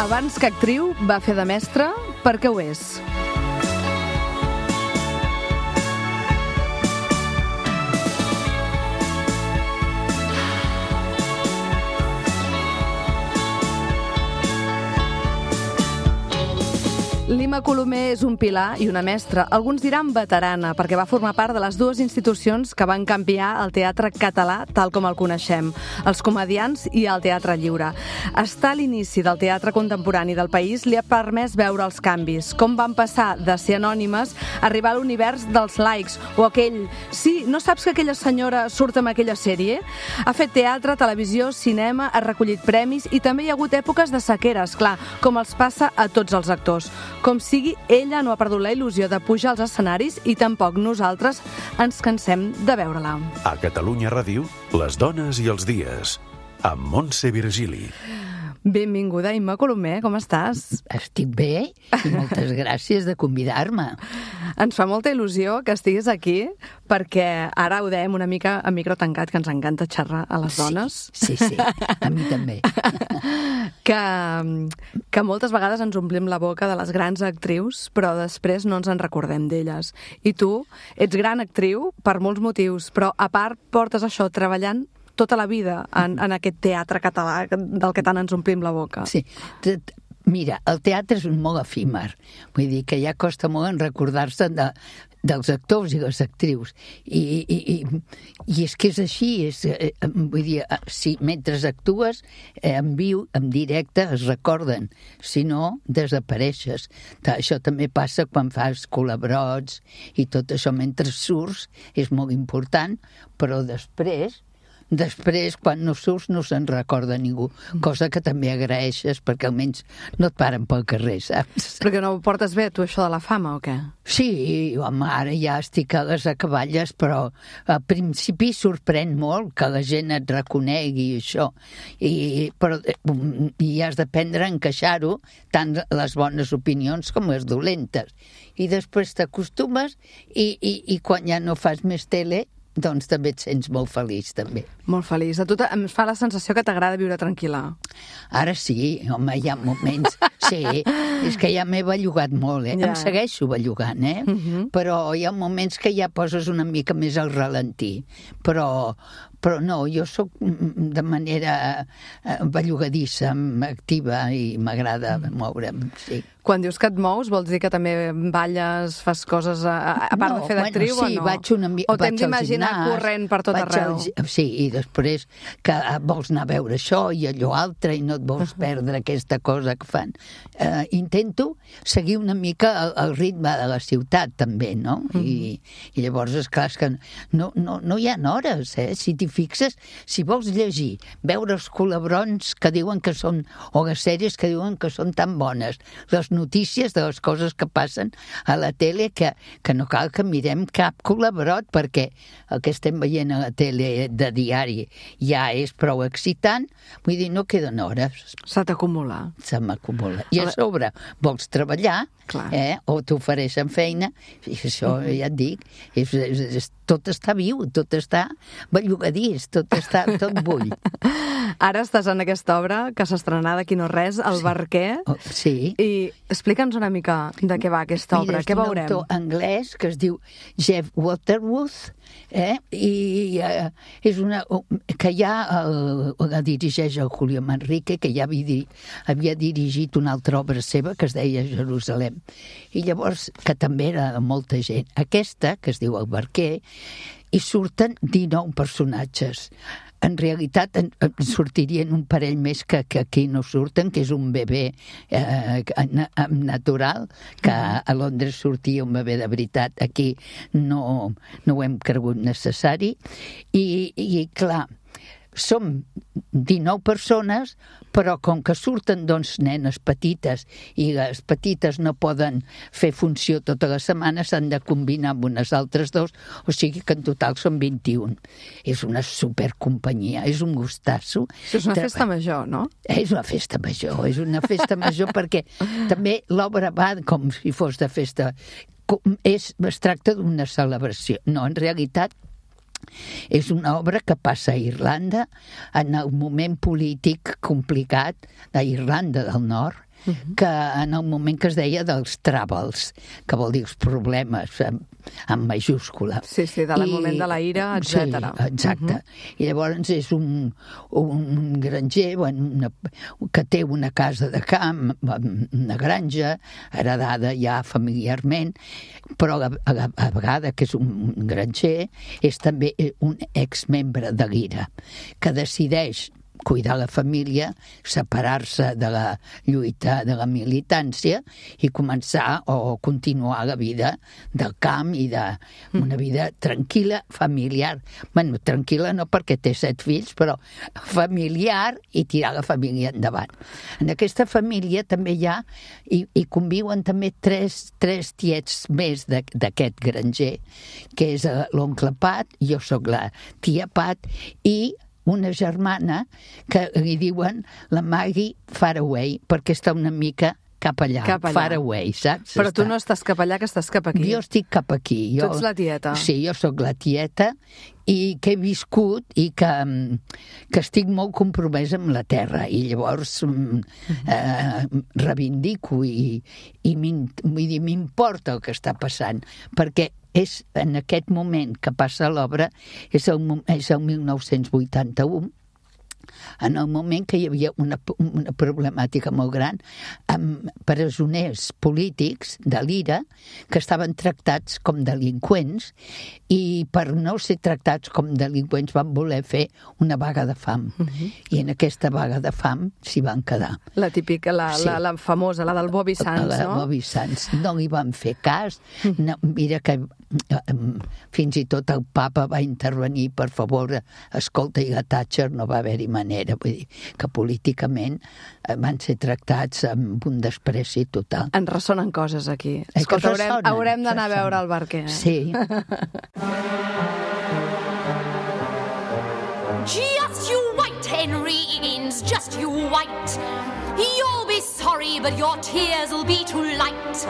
Abans que actriu, va fer de mestra perquè ho és. Lima Colomer és un pilar i una mestra. Alguns diran veterana, perquè va formar part de les dues institucions que van canviar el teatre català tal com el coneixem, els comediants i el teatre lliure. Estar a l'inici del teatre contemporani del país li ha permès veure els canvis, com van passar de ser anònimes a arribar a l'univers dels likes, o aquell, sí, no saps que aquella senyora surt en aquella sèrie? Ha fet teatre, televisió, cinema, ha recollit premis i també hi ha hagut èpoques de sequeres, clar, com els passa a tots els actors. Com sigui, ella no ha perdut la il·lusió de pujar als escenaris i tampoc nosaltres ens cansem de veure-la. A Catalunya Ràdio, les dones i els dies, amb Montse Virgili. Benvinguda, Imma Colomer, com estàs? Estic bé i moltes gràcies de convidar-me. Ens fa molta il·lusió que estiguis aquí perquè ara ho dèiem una mica a micro tancat, que ens encanta xerrar a les dones. Sí, a mi també. Que moltes vegades ens omplim la boca de les grans actrius, però després no ens en recordem d'elles. I tu ets gran actriu per molts motius, però a part portes això treballant tota la vida en aquest teatre català del que tant ens omplim la boca. Sí, mira, el teatre és molt efímer. Vull dir que ja costa molt en recordar-se dels actors i les actrius. I és que és així. Vull dir, si mentre actues en viu, en directe, es recorden. Si no, desapareixes. Això també passa quan fas colabrots i tot això mentre surts. És molt important, però després, quan no surts, no se'n recorda ningú, cosa que també agraeixes, perquè almenys no et paren pel carrer, saps? Perquè no ho portes bé, tu, això de la fama, o què? Sí, home, ara ja estic a les acaballes, però al principi sorprèn molt que la gent et reconegui això, però has d'aprendre a encaixar-ho, tant les bones opinions com les dolentes. I després t'acostumes i quan ja no fas més tele, doncs també et sents molt feliç, també. Molt feliç. A tu em fa la sensació que t'agrada viure tranquil·la. Ara sí, home, hi ha moments... Sí, és que ja m'he bellugat molt, eh? Ja. Em segueixo bellugant, eh? Però hi ha moments que ja poses una mica més al ralentí. Però no, jo sóc de manera bellugadissa, activa i m'agrada moure'm, sí. Quan dius que et mous, vols dir que també balles, fas coses a part de fer d'actriu o no? Sí, vaig una mica... O t'hem d'imaginar corrent per tot arreu? Sí, i després que vols anar a veure això i allò altre i no et vols perdre aquesta cosa que fan. Intento seguir una mica el ritme de la ciutat, també, no? I llavors, esclar, és que no hi ha hores, eh? Si t'hi fixes, si vols llegir, veure els colabrons que diuen que són, o les sèries que diuen que són tan bones, les notícies de les coses que passen a la tele, que no cal que mirem cap colabrot, perquè el que estem veient a la tele de diari ja és prou excitant, vull dir, no queden hores. Se t'acumula. Se m'acumula. I a sobre vols treballar, o t'ofereixen feina, i això ja et dic, tot està viu, tot està bellugadís, tot bull. Ara estàs en aquesta obra que s'estrenà d'aquí no res, El Barquer. Sí. I explica'ns una mica de què va aquesta obra, què veurem? Mira, és un autor anglès que es diu Jeff Waterworth, i és una... que ja la dirigeix el Julio Manrique, que ja havia dirigit una altra obra seva que es deia Jerusalem. I llavors, que també era de molta gent. Aquesta, que es diu El Barquer, hi surten 19 personatges. En realitat en sortirien un parell més que aquí no surten, que és un bebè natural, que a Londres sortia un bebè de veritat, aquí no ho hem cregut necessari, i clar, som 19 persones, però com que surten nenes petites i les petites no poden fer funció tota la setmana, s'han de combinar amb unes altres dos, o sigui que en total són 21. És una supercompanyia, és un gustasso. És una festa major, no? És una festa major, perquè també l'obra va com si fos de festa. Es tracta d'una celebració. No, en realitat és una obra que passa a Irlanda en el moment polític complicat d'Irlanda del Nord, que en el moment que es deia dels troubles, que vol dir els problemes, amb majúscula. Sí, del moment de la ira, etc. Sí, exacte. I llavors és un granger que té una casa de camp, una granja, heredada ja familiarment, però a vegades que és un granger, és també un exmembre de l'IRA, que decideix cuidar la família, separar-se de la lluita, de la militància i començar o continuar la vida del camp i d'una vida tranquil·la, familiar. Bueno, tranquil·la no perquè té 7 fills, però familiar i tirar la família endavant. En aquesta família també hi ha, i conviuen també tres tiets més d'aquest granger, que és l'oncle Pat, jo sóc la tia Pat, i una germana que li diuen la Maggie Faraway, perquè està una mica cap allà. Far away, saps? Però tu no estàs cap allà, que estàs cap aquí. Jo estic cap aquí. Tu ets la tieta. Sí, jo sóc la tieta i que he viscut i que estic molt compromesa amb la terra i llavors reivindico i m'importa el que està passant, perquè és en aquest moment que passa l'obra, és el 1981, en el moment que hi havia una problemàtica molt gran amb presoners polítics de l'IRA que estaven tractats com delinqüents i per no ser tractats com delinqüents van voler fer una vaga de fam. I en aquesta vaga de fam s'hi van quedar. La típica, la famosa, la del Bobby Sands, no? La Bobby Sands. No li van fer cas. No, mira que fins i tot el papa va intervenir, per favor, escolta, i la Thatcher no va haver-hi manera, vull dir que políticament van ser tractats amb un despreci total. Ens ressonen coses aquí. Escolta, haurem d'anar a veure el Barquer. Sí. Just you wait, Henry Higgins, just you wait. You'll be sorry, but your tears will be too late.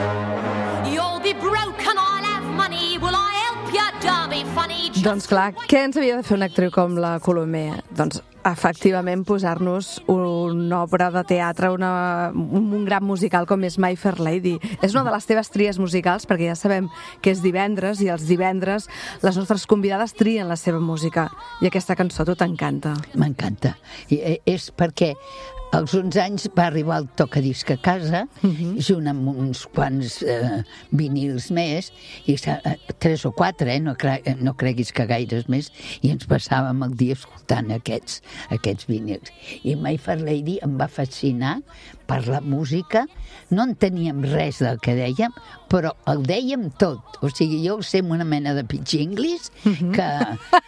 You'll be broke and I'll have money. Will I help you, Derby funny? Doncs clar, què ens havia de fer una actriu com la Colomer? Doncs efectivament posar-nos una obra de teatre, un gran musical com és My Fair Lady. És una de les teves tries musicals, perquè ja sabem que és divendres i els divendres les nostres convidades trien la seva música. I aquesta cançó a tu t'encanta. M'encanta. És perquè als 11 anys va arribar el tocadisc a casa, junt amb uns quants vinils més, i 3 o 4, no creguis que gaires més, i ens passàvem el dia escoltant aquests vinils. I My Fair Lady em va fascinar per la música. No enteníem res del que dèiem, però el dèiem tot. O sigui, jo sé una mena de pitch English que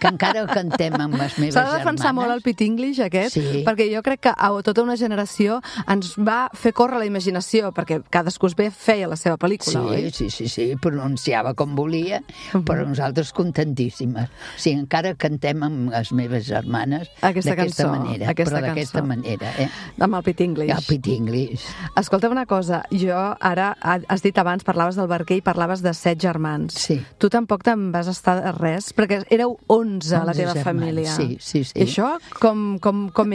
encara el cantem amb les meves germanes. S'ha de defensar molt el pitch English aquest, perquè jo crec que a tota una generació ens va fer córrer la imaginació, perquè cadascú feia la seva pel·lícula, oi? Sí, pronunciava com volia, però nosaltres contentíssimes. O sigui, encara cantem amb les meves germanes d'aquesta manera, però d'aquesta manera. Amb el pitch English. El pitch English. Escolta'm una cosa, jo ara, has dit abans, parlaves del Barquer i parlaves de 7 germans. Sí. Tu tampoc te'n vas estar de res, perquè éreu 11 a la teva família. Sí. I això com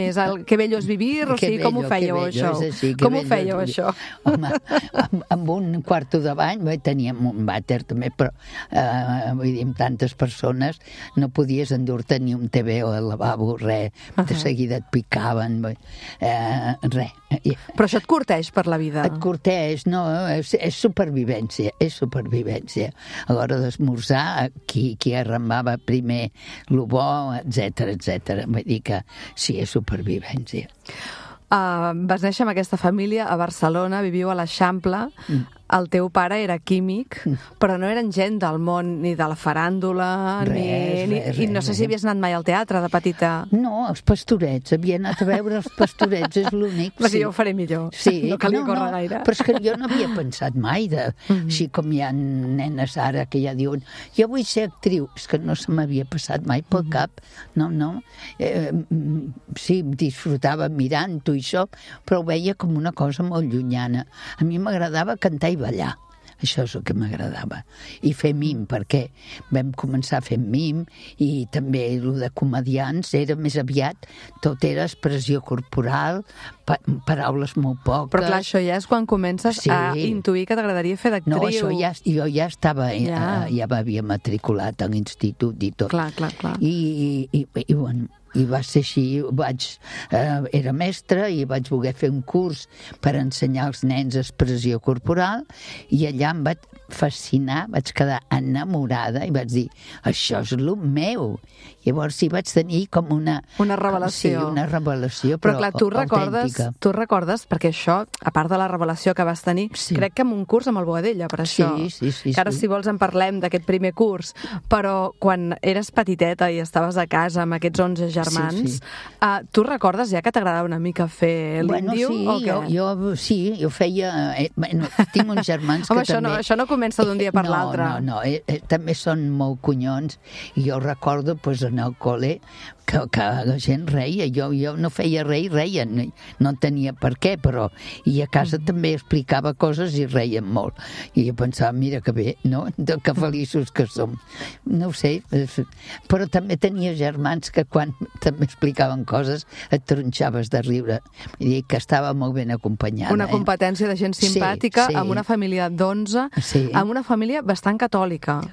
és? Que bello és vivir? O sigui, com ho fèieu, això? Com ho fèieu, això? Home, amb un quarto de bany, teníem un vàter també, però vull dir, amb tantes persones no podies endur-te ni un TV o el lavabo, res. De seguida et picaven, res. Però això et curteix per la vida? Et curteix, no, és supervivència, A l'hora d'esmorzar, qui arrambava primer el bo, etc. Vull dir que sí, és supervivència. Vas néixer amb aquesta família a Barcelona, viviu a l'Eixample. El teu pare era químic, però no eren gent del món ni de la faràndula, res. I no sé si havies anat mai al teatre de petita. No, els Pastorets, havia anat a veure els Pastorets, és l'únic. Però jo ho faré millor, no calia córrer gaire. Però és que jo no havia pensat mai, així com hi ha nenes ara que ja diuen jo vull ser actriu, és que no se m'havia passat mai pel cap, no. Sí, disfrutava mirant-ho i això, però ho veia com una cosa molt llunyana. A mi m'agradava cantar i ballar. Això és el que m'agradava. I fer mim, perquè vam començar fent mim, i també el de comedians era més aviat, tot era expressió corporal, paraules molt poques. Però clar, això ja és quan comences a intuir que t'agradaria fer d'actriu. No, això jo ja estava, ja m'havia matriculat a l'institut i tot. Clar. I bueno, i va ser així, era mestra i vaig voler fer un curs per ensenyar als nens expressió corporal, i allà em vaig fascinar, vaig quedar enamorada i vaig dir, això és el meu. Llavors hi vaig tenir com una revelació. Sí, una revelació, però clar, tu recordes, perquè això, a part de la revelació que vas tenir, crec que en un curs amb el Boadella, per això. Sí. Que ara, si vols, en parlem d'aquest primer curs, però quan eres petiteta i estaves a casa amb aquests 11 germans, tu recordes ja que t'agradava una mica fer l'índio? Jo feia... tinc uns germans que també... Això no comença d'un dia per l'altre. No, també són molt cunyons, i jo recordo, en el col·le, que la gent reia, jo no feia res i reien, no tenia per què, però i a casa també explicava coses i reien molt, i jo pensava, mira que bé, no? Que feliços que som, no ho sé, però també tenia germans que quan també explicaven coses et tronxaves de riure, vull dir que estava molt ben acompanyada. Una competència de gent simpàtica, amb una família d'11, amb una família bastant catòlica,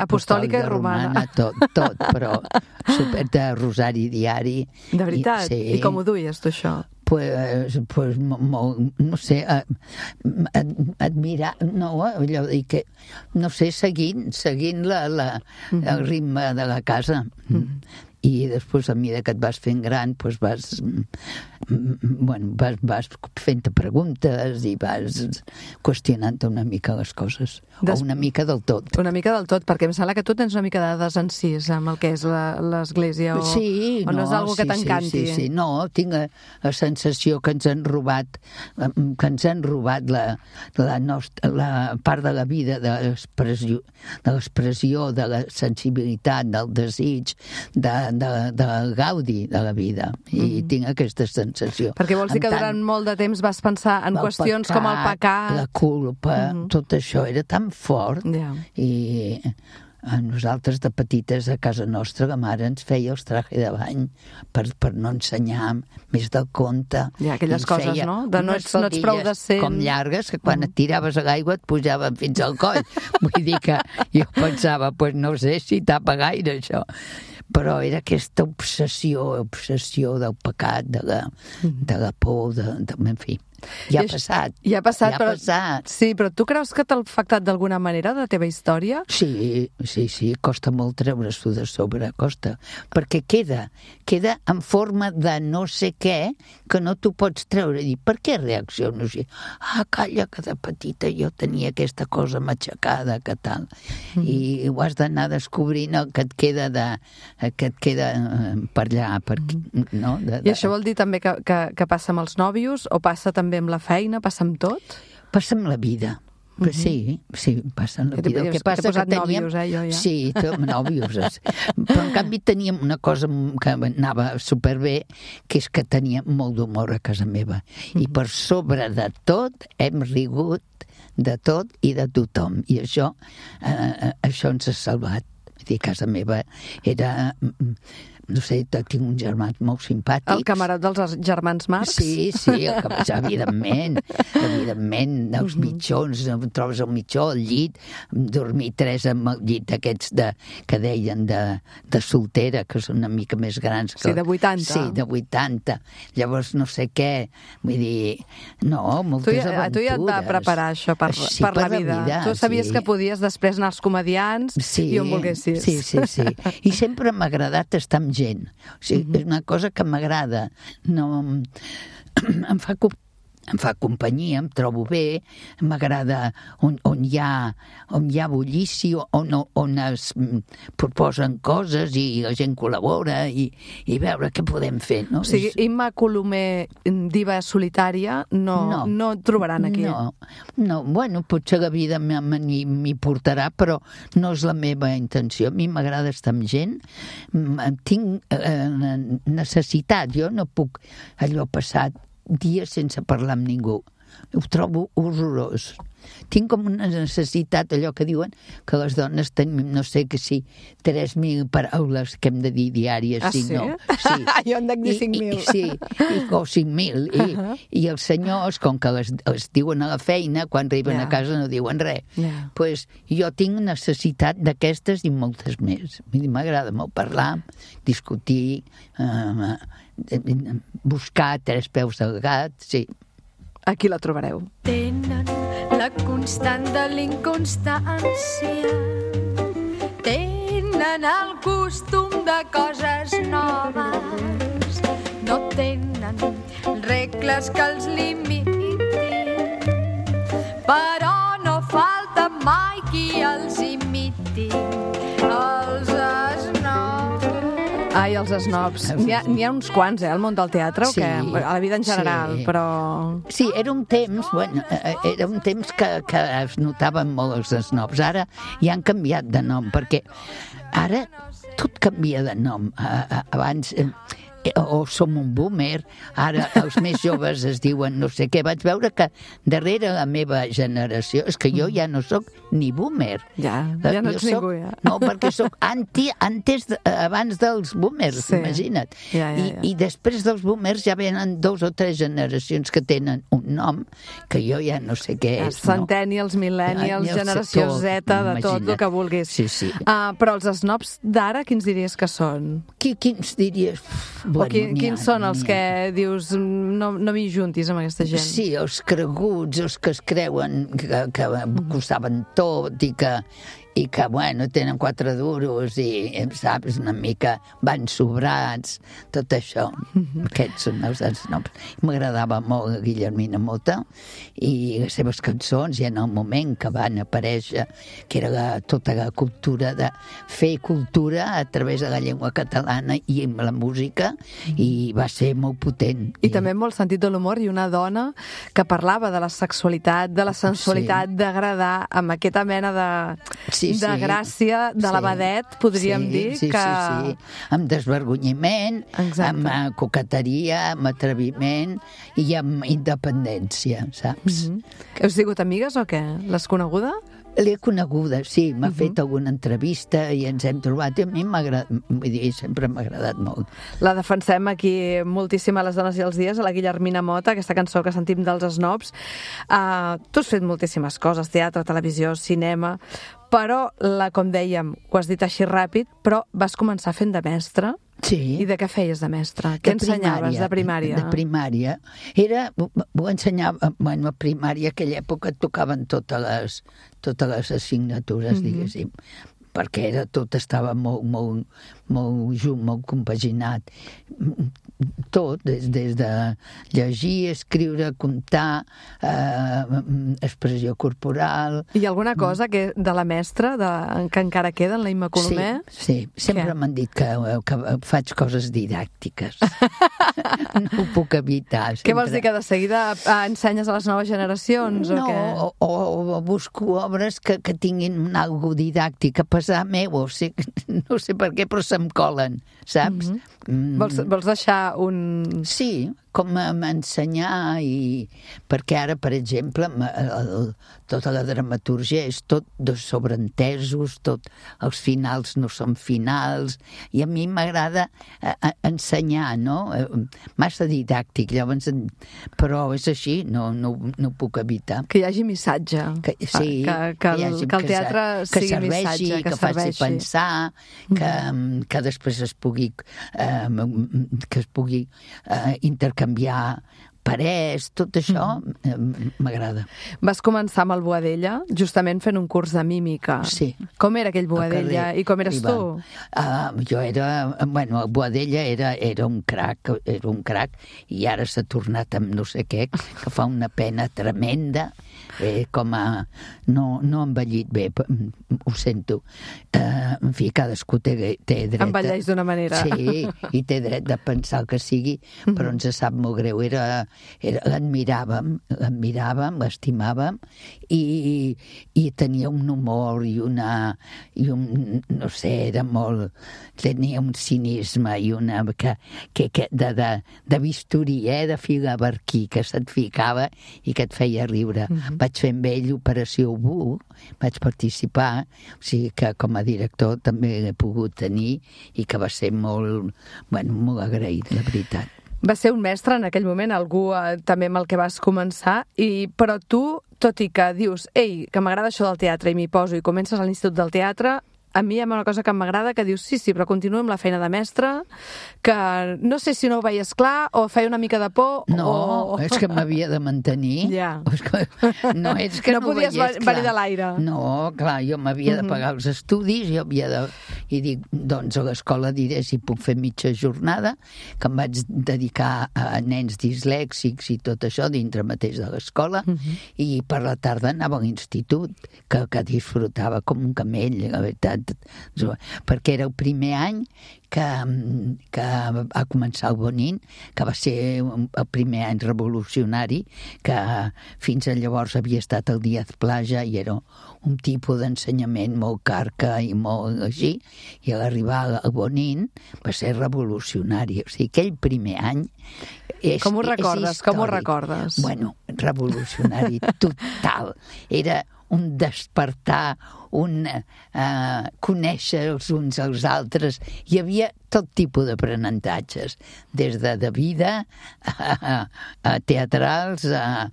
apostòlica i romana, tot, però super de rosari diari. De veritat? I com ho duies, tu, això? Pues no sé, admirar, no, allò de que, no sé, seguint el ritme de la casa. I després, a mesura que et vas fent gran, vas fent preguntes i vas qüestionant una mica les coses, o una mica del tot. Una mica del tot, perquè em sembla que tu tens una mica de desencís amb el que és l'església, o no és algo que t'encanti. Sí, no, tinc la sensació que ens han robat la part de la vida, de l'expressió, de la sensibilitat, del desig, del gaudi de la vida, i tinc aquesta sensació. Perquè vols dir que durant molt de temps vas pensar en qüestions com el pecat, la culpa, tot això era tan fort, i a nosaltres de petites a casa nostra la mare ens feia els trajes de bany per no ensenyar més del conte. Aquelles coses, no? De no ets prou decent. Com llargues, que quan et tiraves a l'aigua et pujaven fins al coll. Vull dir que jo pensava, no sé si tapa gaire això. Però era aquesta obsessió del pecat, de la por, en fi. Ja ha passat. Sí, però tu creus que t'ha afectat d'alguna manera de la teva història? Sí, costa molt treure-s'ho de sobre, costa. Perquè queda en forma de no sé què que no t'ho pots treure. I per què reacciono així? Calla, que de petita jo tenia aquesta cosa matxacada, que tal. I ho has d'anar descobrint el que et queda per allà. No? I això vol dir també que passa amb els nòvios, o passa també amb la feina, passa amb tot? Passa amb la vida. Sí, passa amb la vida. El que passa que teníem... nòvios, jo ja. Sí, nòvios. Però en canvi teníem una cosa que anava superbé, que és que teníem molt d'humor a casa meva. I per sobre de tot hem rigut de tot i de tothom. I això ens ha salvat. Vull dir, casa meva era... No sé, tinc uns germans molt simpàtics. El camarat dels germans Marx? Sí, evidentment, els mitjons, trobes el mitjó, el llit, dormir 3 amb el llit d'aquests que deien de soltera, que són una mica més grans. Sí, de 80. Sí, de 80. Llavors no sé què, vull dir, no, moltes aventures. Tu ja et va preparar això per la vida. Tu sabies que podies després anar als comedians i on volguessis. Sí. I sempre m'ha agradat estar amb gent. O sigui, és una cosa que m'agrada. No, em fa companyia, em trobo bé, m'agrada on hi ha bullici, on es proposen coses i la gent col·labora i veure què podem fer. No? O sigui, Imma Colomer, diva solitària, no et trobaran aquí. No, bueno, potser la vida m'hi portarà, però no és la meva intenció. A mi m'agrada estar amb gent, tinc necessitat, jo no puc allò passar dies sense parlar amb ningú. ho trobo horrorós. Tinc com una necessitat, allò que diuen, que les dones tenim, no sé que si, 3.000 paraules que hem de dir diàries. Ah, sí? No? Sí. Jo en dec dir 5.000. Sí, o 5.000. I els senyors, com que les diuen a la feina, quan arriben a casa no diuen res. Pues jo tinc necessitat d'aquestes i moltes més. M'agrada molt parlar, discutir, buscar 3 peus al gat, sí. Aquí la trobareu. Tenen la constant de l'inconstància, tenen el costum de coses noves, no tenen regles que els limitin, però no falta mai qui els imiti, els snobs. Ai, els snobs. N'hi ha uns quants, al món del teatre, o Sí, què? A la vida en general, sí. però... Sí, era un temps que es notaven molt els snobs. Ara ja han canviat de nom, perquè ara tot canvia de nom. Abans... o som un boomer, ara els més joves es diuen no sé què. Vaig veure que darrere la meva generació, és que jo ja no sóc ni boomer. Ja no ets ningú, ja. No, perquè sóc abans dels boomers, Sí. imagina't. Ja. I després dels boomers ja venen 2 o 3 generacions que tenen un nom que jo ja no sé què és. Centennials, millennials, generació Z, de tot el que vulguis. Sí. Però els snobs d'ara, quins diries que són? Quins diries? O quins són els que dius no m'hi juntis amb aquesta gent? Sí, els creguts, els que es creuen que ho saben tot i que, bueno, tenen 4 duros i, saps, una mica van sobrats, tot això. Aquests són els snobs. M'agradava molt Guillermina Motta i les seves cançons, i en el moment que van aparèixer, que era tota la cultura de fer cultura a través de la llengua catalana i amb la música, i va ser molt potent. I també amb molt sentit de l'humor, i una dona que parlava de la sexualitat, de la sensualitat, d'agradar, amb aquesta mena de gràcia, de l'abadet, podríem dir, que... Sí. Amb desvergonyiment, amb coqueteria, amb atreviment i amb independència, saps? Heu sigut amigues o què? L'has coneguda? L'he coneguda, sí, m'ha fet alguna entrevista i ens hem trobat, i a mi sempre m'ha agradat molt. La defensem aquí moltíssim a Les dones i els dies, a la Guillermina Motta, aquesta cançó que sentim dels snobs. Tu has fet moltíssimes coses, teatre, televisió, cinema, però, com dèiem, ho has dit així ràpid, però vas començar fent de mestra. Sí. I de què feies de mestre? Què ensenyaves de primària? De primària. Ho ensenyava, a primària, aquella època tocaven totes les assignatures, diguéssim, perquè tot estava molt junt, molt compaginat. Tot, des de llegir, escriure, comptar, expressió corporal... I alguna cosa de la mestra que encara queda en la Imma Colomer? Sí. Sempre m'han dit que faig coses didàctiques. No ho puc evitar. Què vols dir, que de seguida ensenyes a les noves generacions? No, o busco obres que tinguin algo didàctic, a pesar meu, no sé per què, però se'm colen, saps? Vols deixar un... Sí, com m'ensenyar, perquè ara, per exemple, tota la dramaturgia és tot de sobreentesos, els finals no són finals, i a mi m'agrada ensenyar, no? Massa didàctic, llavors, però és així, no ho puc evitar. Que hi hagi missatge. Sí, que el teatre sigui missatge, que faci pensar, que després es pugui intercanviar parers, tot això m'agrada. Vas començar amb el Boadella, justament fent un curs de mímica. Sí. Com era aquell Boadella i com eres tu? Jo el Boadella era un crac, i ara s'ha tornat amb no sé què, que fa una pena tremenda, no ha envellit bé, ho sento. En fi, cadascú té dret... Envelleix d'una manera. Sí, i té dret de pensar el que sigui, però ens sap molt greu. l'admiràvem, l'estimàvem, i tenia un humor no sé, era molt... Tenia un cinisme i una... de bisturí, de filaberquí, que se't ficava i que et feia riure. Vaig fer amb ell Operació Bú, vaig participar, o sigui que com a director també l'he pogut tenir i que va ser molt agraït, la veritat. Va ser un mestre en aquell moment, algú també amb el que vas començar, però tu, tot i que dius, ei, que m'agrada això del teatre i m'hi poso i comences a l'Institut del Teatre, a mi hi ha una cosa que m'agrada que dius, sí, però continuo amb la feina de mestre, que no sé si no ho veies clar o feia una mica de por. No, és que m'havia de mantenir. Ja. No és que no podies venir de l'aire. No, clar, jo m'havia de pagar els estudis, i dic, doncs a l'escola diré si puc fer mitja jornada, que em vaig dedicar a nens dislèxics i tot això dintre mateix de l'escola, i per la tarda anava a l'institut, que disfrutava com un camell, la veritat, perquè era el primer any que va començar el Bonín, que va ser el primer any revolucionari, que fins llavors havia estat el Díaz Plaja i era un tipus d'ensenyament molt carca i molt així, i a l'arribar al Bonín va ser revolucionari. O sigui, aquell primer any Com ho recordes? Com ho recordes? Bueno, revolucionari total. Era un despertar, un conèixer els uns als altres. Hi havia tot tipus d'aprenentatges, des de vida a teatrals, a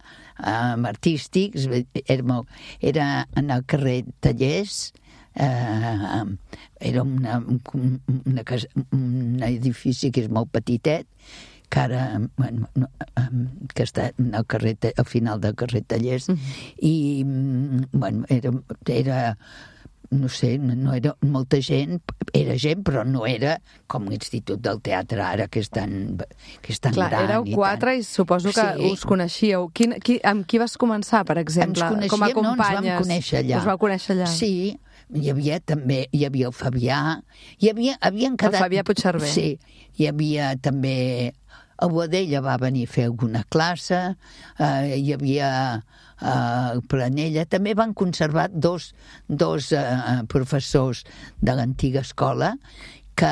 artístics. Era en el carrer Tallers, era un edifici que és molt petitet, que ara, que està al carrer, al final del carrer Tallers, i, era no sé, no era molta gent, era gent, però no era com l'Institut del Teatre ara, que és tan Clar, gran. Éreu 4 i suposo que us coneixíeu. Amb qui vas començar, per exemple, com a companyes? Ens vam conèixer allà. Us vau conèixer allà? Sí, hi havia el Fabià, havien quedat... El Fabià Puigcerver. Sí, hi havia també... El Boadella va venir a fer alguna classe, hi havia el Planella. També van conservar dos professors de l'antiga escola que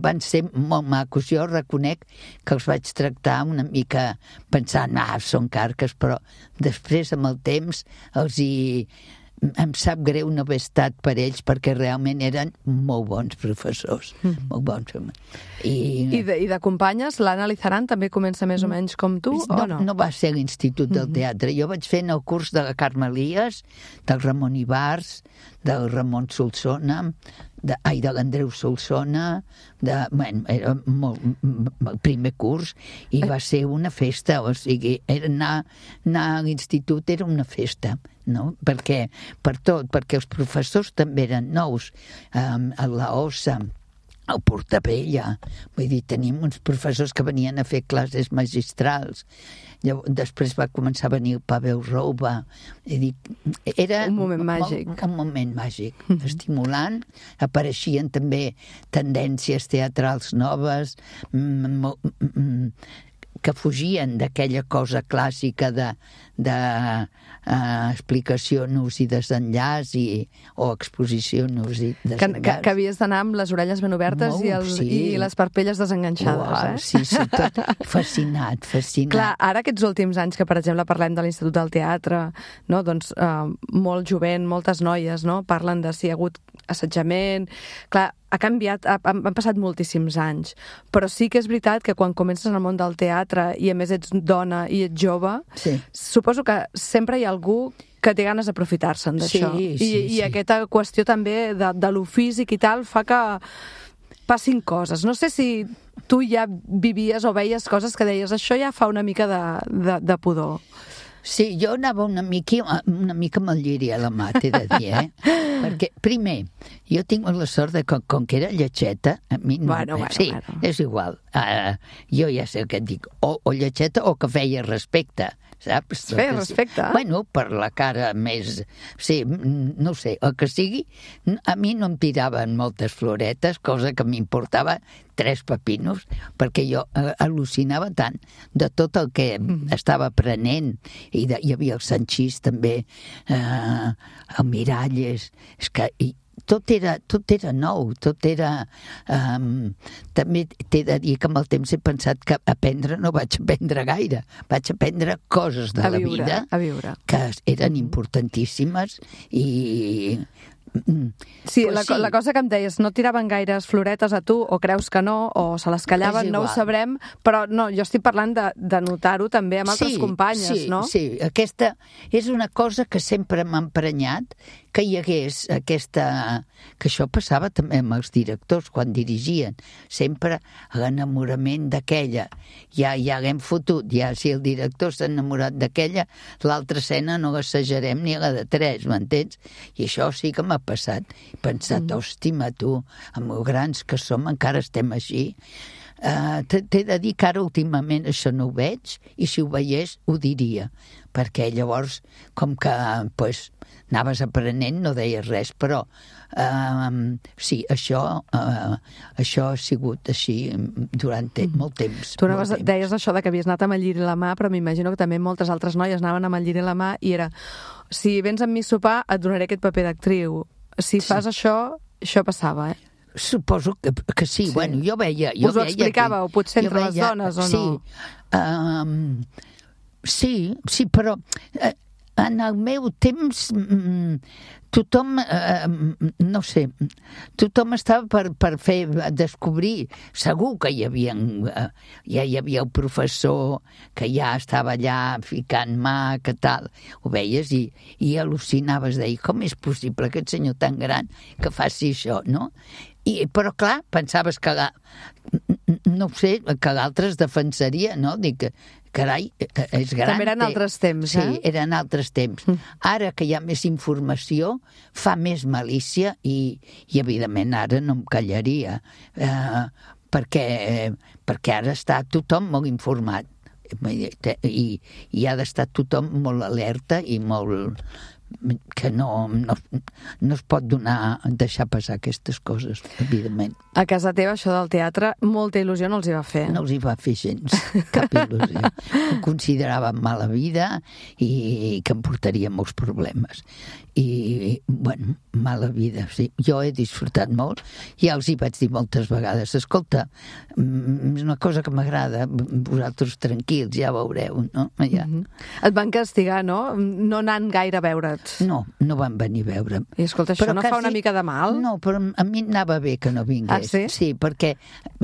van ser molt macos. Jo reconec que els vaig tractar una mica pensant, són carques, però després, amb el temps, em sap greu no haver estat per ells, perquè realment eren molt bons professors, molt bons. I de companyes, l'Anna Lizaran també comença més o menys com tu, o no? No va ser a l'Institut del Teatre. Jo vaig fer en el curs de la Carme Elias, del Ramon Ibars, del Ramon Solsona, de l'Andreu Solsona, era el primer curs, i va ser una festa, o sigui, anar a l'institut era una festa, no? Perquè els professors també eren nous, a la Ossa, al Portabella, vull dir, tenim uns professors que venien a fer classes magistrals. Després va començar a venir el Pavel Rouba. Era un moment màgic. Un moment màgic, estimulant. Apareixien també tendències teatrals noves, que fugien d'aquella cosa clàssica de explicació nus i desenllaç o exposició nus i desenllaç. Que havies d'anar amb les orelles ben obertes i les parpelles desenganxades, Sí, tot fascinat. Clar, ara aquests últims anys que, per exemple, parlem de l'Institut del Teatre, no? Doncs molt jovent, moltes noies, no? Parlen de si hi ha hagut assetjament. Clar, ha canviat, han passat moltíssims anys, però sí que és veritat que quan comences en el món del teatre i a més ets dona i ets jove, suposo que sempre hi ha algú que té ganes d'aprofitar-se'n d'això. I aquesta qüestió també de lo físic i tal fa que passin coses. No sé si tu ja vivies o veies coses que deies això ja fa una mica de pudor. Sí, jo anava una mica amb el lliri a la mà, t'he de dir, Perquè, primer, jo tinc la sort de que, com que era lletxeta, a mi no... Bueno. És igual. Jo ja sé el que et dic. O lletxeta o que feia respecte, saps? Feia respecte. Bueno, per la cara més... Sí, no sé, el que sigui, a mi no em tiraven moltes floretes, cosa que m'importava 3 pepinos, perquè jo al·lucinava tant de tot el que estava aprenent, i hi havia el Sanchís també, el Miralles, és que tot era nou, tot era... També t'he de dir que amb el temps he pensat que aprendre no vaig aprendre gaire, vaig aprendre coses de la vida que eren importantíssimes i... Sí, la cosa que em deies, no tiraven gaires floretes a tu, o creus que no, o se les callaven, no ho sabrem, però no, jo estic parlant de notar-ho també amb altres companyes, no? Sí, aquesta és una cosa que sempre m'ha emprenyat, que hi hagués aquesta... que això passava també amb els directors quan dirigien, sempre l'enamorament d'aquella, ja l'hem fotut, ja si el director s'ha enamorat d'aquella, l'altra escena no l'assajarem ni la de 3, m'entens? I això sí que m'ha passat, he pensat, hòstima tu, amb els grans que som encara estem així. T'he de dir que ara últimament això no ho veig, i si ho veiés ho diria, perquè llavors com que anaves aprenent, no deies res, però sí, això ha sigut així durant molt temps. Tu deies això de que havies anat amb el lliri a la mà, però m'imagino que també moltes altres noies anaven amb el lliri a la mà i era, si vens amb mi a sopar et donaré aquest paper d'actriu, si fas això passava, Suposo que sí. Bueno, jo veia... Us ho explicàveu, potser entre les dones, o no? Sí, però en el meu temps tothom, no sé, tothom estava per fer descobrir, segur que ja hi havia el professor que ja estava allà ficant mà, que tal, ho veies i al·lucinaves, deia, com és possible aquest senyor tan gran que faci això, no? Però clar, pensaves que no sé, que l'altre es defensaria, no? Dic, carai, és gran. També eren altres temps, Sí, eren altres temps. Ara que hi ha més informació, fa més malícia i evidentment ara no em callaria, perquè ara està tothom molt informat i ha d'estar tothom molt alerta i molt... que no es pot deixar passar aquestes coses, evidentment. A casa teva, això del teatre, molta il·lusió no els hi va fer. No els hi va fer gens, cap il·lusió. Ho considerava mala vida i que em portaria molts problemes. I, bueno, mala vida, sí. Jo he disfrutat molt, ja els hi vaig dir moltes vegades, escolta, és una cosa que m'agrada, vosaltres tranquils, ja veureu, no? Ja. Et van castigar, no? No anant gaire a veure't. No van venir a veure'm. I escolta, això no fa una mica de mal? No, però a mi anava bé que no vingués. Ah, sí? Sí, perquè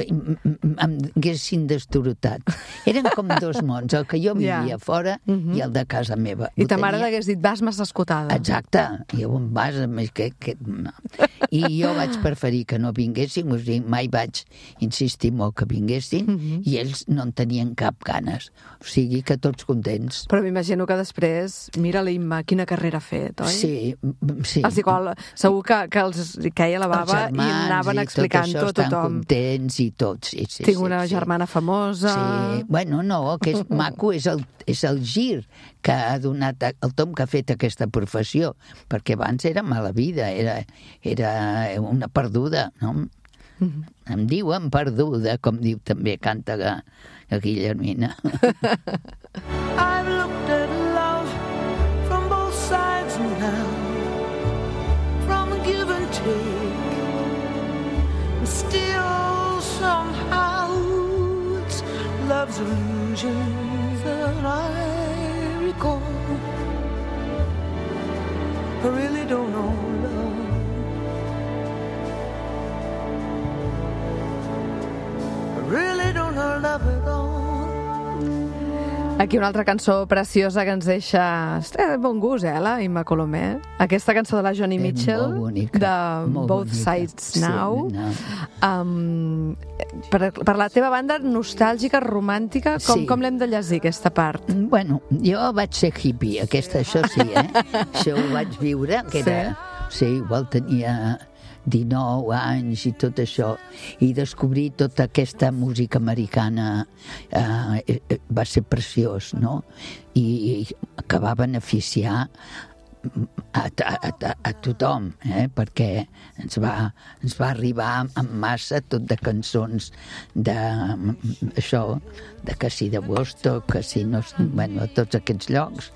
em haguessin destorotat. Eren com 2 mons, el que jo vivia fora i el de casa meva. I ta mare t'hagués dit, vas massa escotada. Exacte, i on vas? I jo vaig preferir que no vinguessin, o sigui, mai vaig insistir molt que vinguessin, i ells no en tenien cap ganes. O sigui que tots contents. Però m'imagino que després, mira l'Imma, quina carrera ha fet, oi? Sí. Els igual, segur que els caia la bava i anaven explicant tot a tothom. Estan contents i tots. Sí, tinc una germana famosa... Sí, bueno, no, el que és maco és el gir que ha donat el Tom, que ha fet aquesta professió, perquè abans era mala vida, era una perduda, no? Em diuen perduda, com diu també, canta la Guillermina. I've looked at love from both sides now, from give and take, and still somehow it's love's illusions that I recall. I really don't know love. I really don't know love at all. Aquí una altra cançó preciosa que ens deixa... bon gust, la Imma Colomer. Aquesta cançó de la Joni Mitchell, de Both Sides Now. Per la teva banda, nostàlgica, romàntica, com l'hem de llegir, aquesta part? Bueno, jo vaig ser hippie, això sí, Això ho vaig viure, que era... Sí, igual tenia 19 anys i tot això, i descobrir tota aquesta música americana va ser preciós, no? I que va beneficiar a tothom, perquè ens va arribar en massa tot de cançons d'això, que si de Woodstock, que si no, bueno, tots aquests llocs,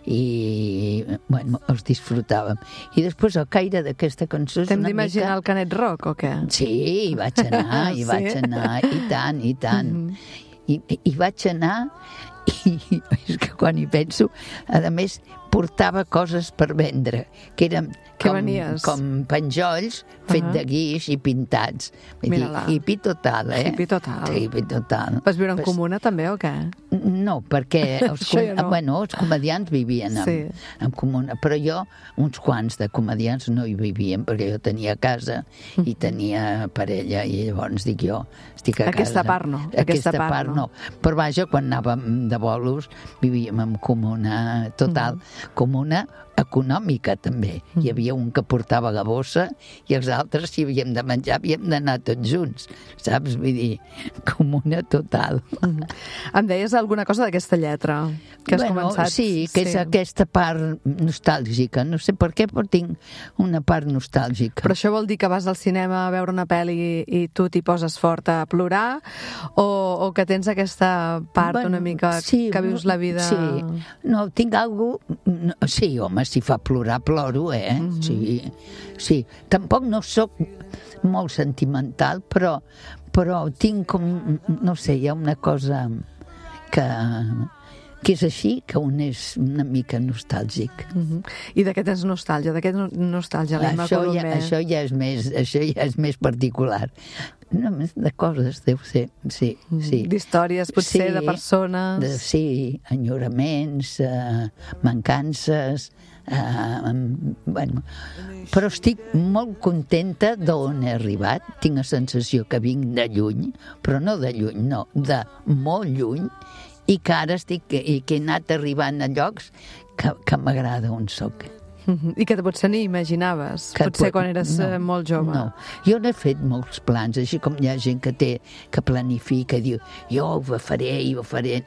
i bueno, els disfrutàvem. I després al caire d'aquesta cançó és T'hem una d'imaginar mica... el Canet Rock, o què? Sí, hi vaig anar, i tant, i tant. I vaig anar, i és que quan hi penso, a més, portava coses per vendre, que eren com penjolls fet de guix i pintats. Hippie total, Hippie total. Hippie total. Vas viure en comuna també, o què? No, perquè els comedians vivien en comuna, però jo, uns quants de comedians no hi vivien, perquè jo tenia casa i tenia parella, i llavors dic jo, estic a casa. Aquesta part no. Però vaja, quan anàvem de bolos, vivíem en comuna total, comuna econòmica també. Hi havia un que portava la bossa i els altres, si havíem de menjar, havíem d'anar tots junts, saps? Vull dir, comuna total. Em deies alguna cosa d'aquesta lletra que has començat? Sí, que és aquesta part nostàlgica. No sé per què, però tinc una part nostàlgica. Però això vol dir que vas al cinema a veure una pel·li i tu t'hi poses fort a plorar, o que tens aquesta part una mica que vius la vida... Sí, no, tinc alguna cosa... Sí, home, si fa plorar, ploro, Sí. Tampoc no sóc molt sentimental, però tinc com... No sé, hi ha una cosa que és així, que un és una mica nostàlgic. I de què tens nostàlgia? De què nostàlgia? Això ja és més particular. Només de coses, deu ser, sí. D'històries, potser, de persones... Sí, enyoraments, mancances... Bueno, però estic molt contenta d'on he arribat. Tinc la sensació que vinc de lluny, però no de lluny, no, de molt lluny, i que ara que he anat arribant a llocs que m'agrada on soc. I que potser ni imaginaves, potser quan eres molt jove. No, jo n'he fet molts plans, així com hi ha gent que planifica i diu, jo ho faré,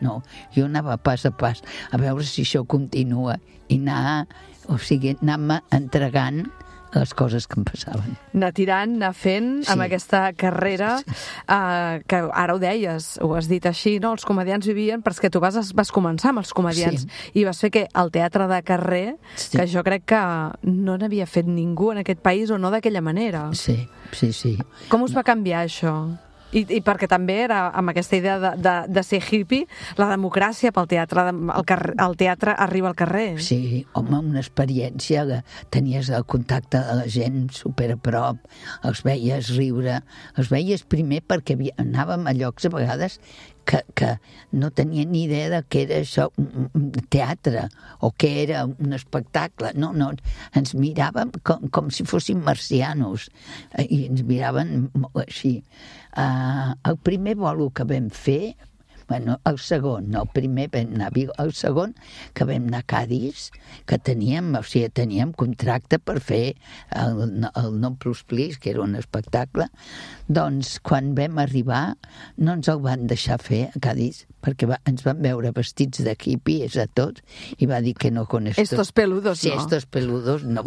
no. Jo anava pas a pas, a veure si això continua, i anar-me entregant les coses que em passaven. Anar tirant, anar fent, amb aquesta carrera, que ara ho deies, ho has dit així, no? Els comedians vivien, perquè tu vas començar amb els comedians, i vas fer que el teatre de carrer, que jo crec que no n'havia fet ningú en aquest país, o no d'aquella manera. Sí. Com us va canviar això? I perquè també era amb aquesta idea de ser hippie, la democràcia pel teatre, el teatre arriba al carrer. Sí, home, una experiència, tenies el contacte de la gent super a prop, els veies riure, els veies primer perquè anàvem a llocs a vegades que no tenia ni idea de què era això, un teatre, o què era un espectacle. No, ens miràvem com si fóssim marcianos, i ens miraven així. El primer bolo que vam fer, el segon, no, el primer vam anar a Vigo, el segon que vam anar a Cadis, que teníem contracte per fer el Non Plus Please, que era un espectacle, doncs quan vam arribar no ens el van deixar fer a Cadis, perquè ens van veure vestits de hippies a tots, i va dir que no con estos... Estos peludos, sí, no. Estos peludos no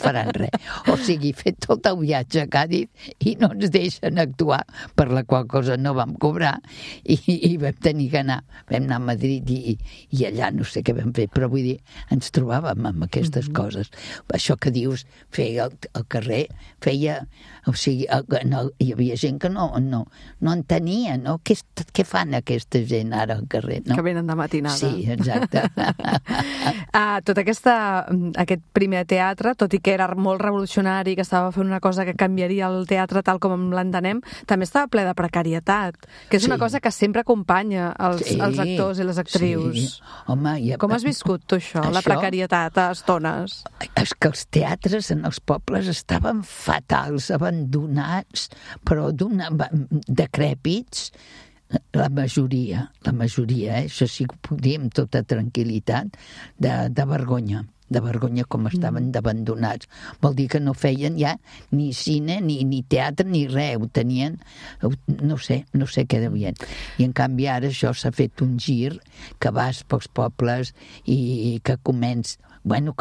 faran res. O sigui, fet tot el viatge a Cadis i no ens deixen actuar, per la qual cosa no vam cobrar, i vam tenir que anar. Vam anar a Madrid i allà no sé què vam fer, però vull dir, ens trobàvem amb aquestes coses. Això que dius, feia el carrer, feia... O sigui, hi havia gent que no entenia, no? Què fan aquesta gent ara al carrer, no? Que venen de matinada. Sí, exacte. Tot aquest primer teatre, tot i que era molt revolucionari, que estava fent una cosa que canviaria el teatre tal com l'entenem, també estava ple de precarietat, que és una cosa que sempre acompanya els actors i les actrius. Sí. Home, com has viscut tu això, la precarietat a estones? És que els teatres en els pobles estaven fatals, abandonats, però decrèpits, la majoria, això sí que ho puc dir amb tota tranquil·litat, de vergonya. de vergonya com estaven d'abandonats. Vol dir que no feien ja ni cine, ni teatre, ni res. Ho tenien, no sé què devien. I en canvi ara això s'ha fet un gir que vas pels pobles i que comença, no,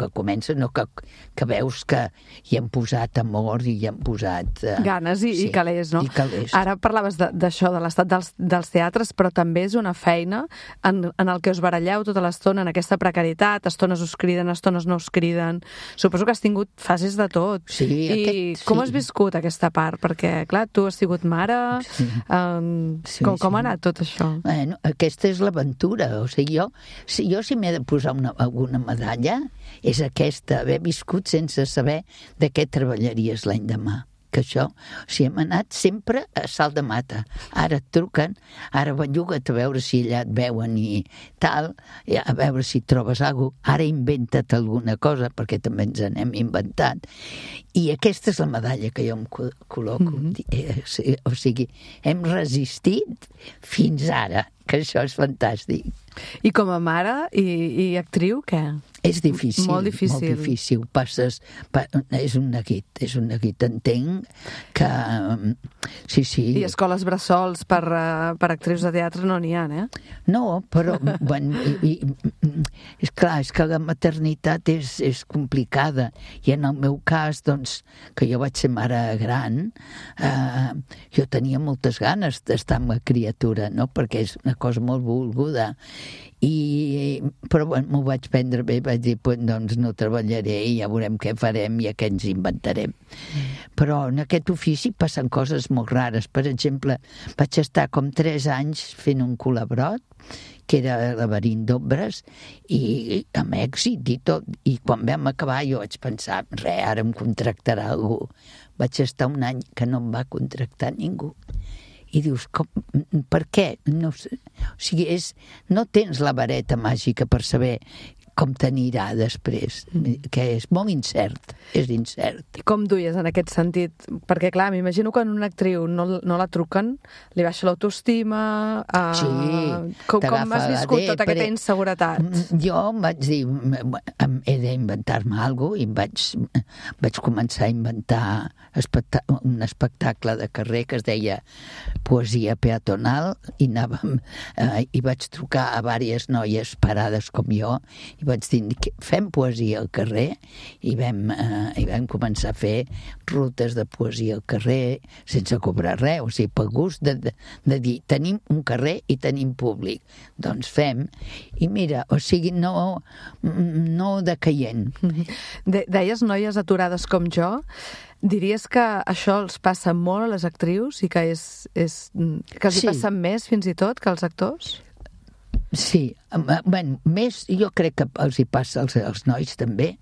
que veus que hi han posat amor i hi han posat... ganes i calés, no? I calés. Ara parlaves d'això, de l'estat dels teatres, però també és una feina en el que us baralleu tota l'estona, en aquesta precarietat, estones us criden, estones no us criden. Suposo que has tingut fases de tot. Sí, com has viscut aquesta part? Perquè, clar, tu has sigut mare, com ha anat tot això? Bueno, aquesta és l'aventura. O sigui, jo si m'he de posar alguna medalla, és aquesta, haver viscut sense saber de què treballaries l'any demà. Que això, hem anat sempre a salt de mata. Ara et truquen, ara belluga't a veure si allà et veuen i tal, a veure si trobes alguna cosa. Ara inventa't alguna cosa, perquè també ens n'hem inventat. I aquesta és la medalla que jo em col·loco. O sigui, hem resistit fins ara, que això és fantàstic. I com a mare i actriu, què? És difícil. Molt difícil. Molt difícil. És un neguit. Entenc que... Sí. I escoles bressols per actrius de teatre no n'hi ha, eh? No, però... és clar, és que la maternitat és complicada. I en el meu cas, doncs, que jo vaig ser mare gran, jo tenia moltes ganes d'estar amb la criatura, no? Perquè és una cosa molt volguda. Però m'ho vaig prendre bé, vaig dir, doncs no treballaré i ja veurem què farem i què ens inventarem. Però en aquest ofici passen coses molt rares. Per exemple, vaig estar com 3 anys fent un colabrot, que era Laberint d'ombres, i amb èxit i tot. I quan vam acabar jo vaig pensar, ara em contractarà algú. Vaig estar un any que no em va contractar ningú. I dius, per què? No sé. O sigui, no tens la vareta màgica per saber com t'anirà després, que és molt incert, és incert. I com duies en aquest sentit? Perquè, clar, m'imagino que en una actriu no la truquen, li baixa l'autoestima... Sí, com has viscut tota aquesta inseguretat? Jo em vaig dir, he d'inventar-me alguna cosa, i vaig començar a inventar un espectacle de carrer que es deia Poesia Peatonal, i vaig trucar a diverses noies parades com jo, i vaig dir, fem poesia al carrer, i vam començar a fer rutes de poesia al carrer sense cobrar res, o sigui, per gust de dir, tenim un carrer i tenim públic, doncs fem, i mira, o sigui, no decaient. Deies noies aturades com jo, diries que això els passa molt a les actrius i que que els hi passen més fins i tot que als actors? Sí, més jo crec que els hi passa als nois també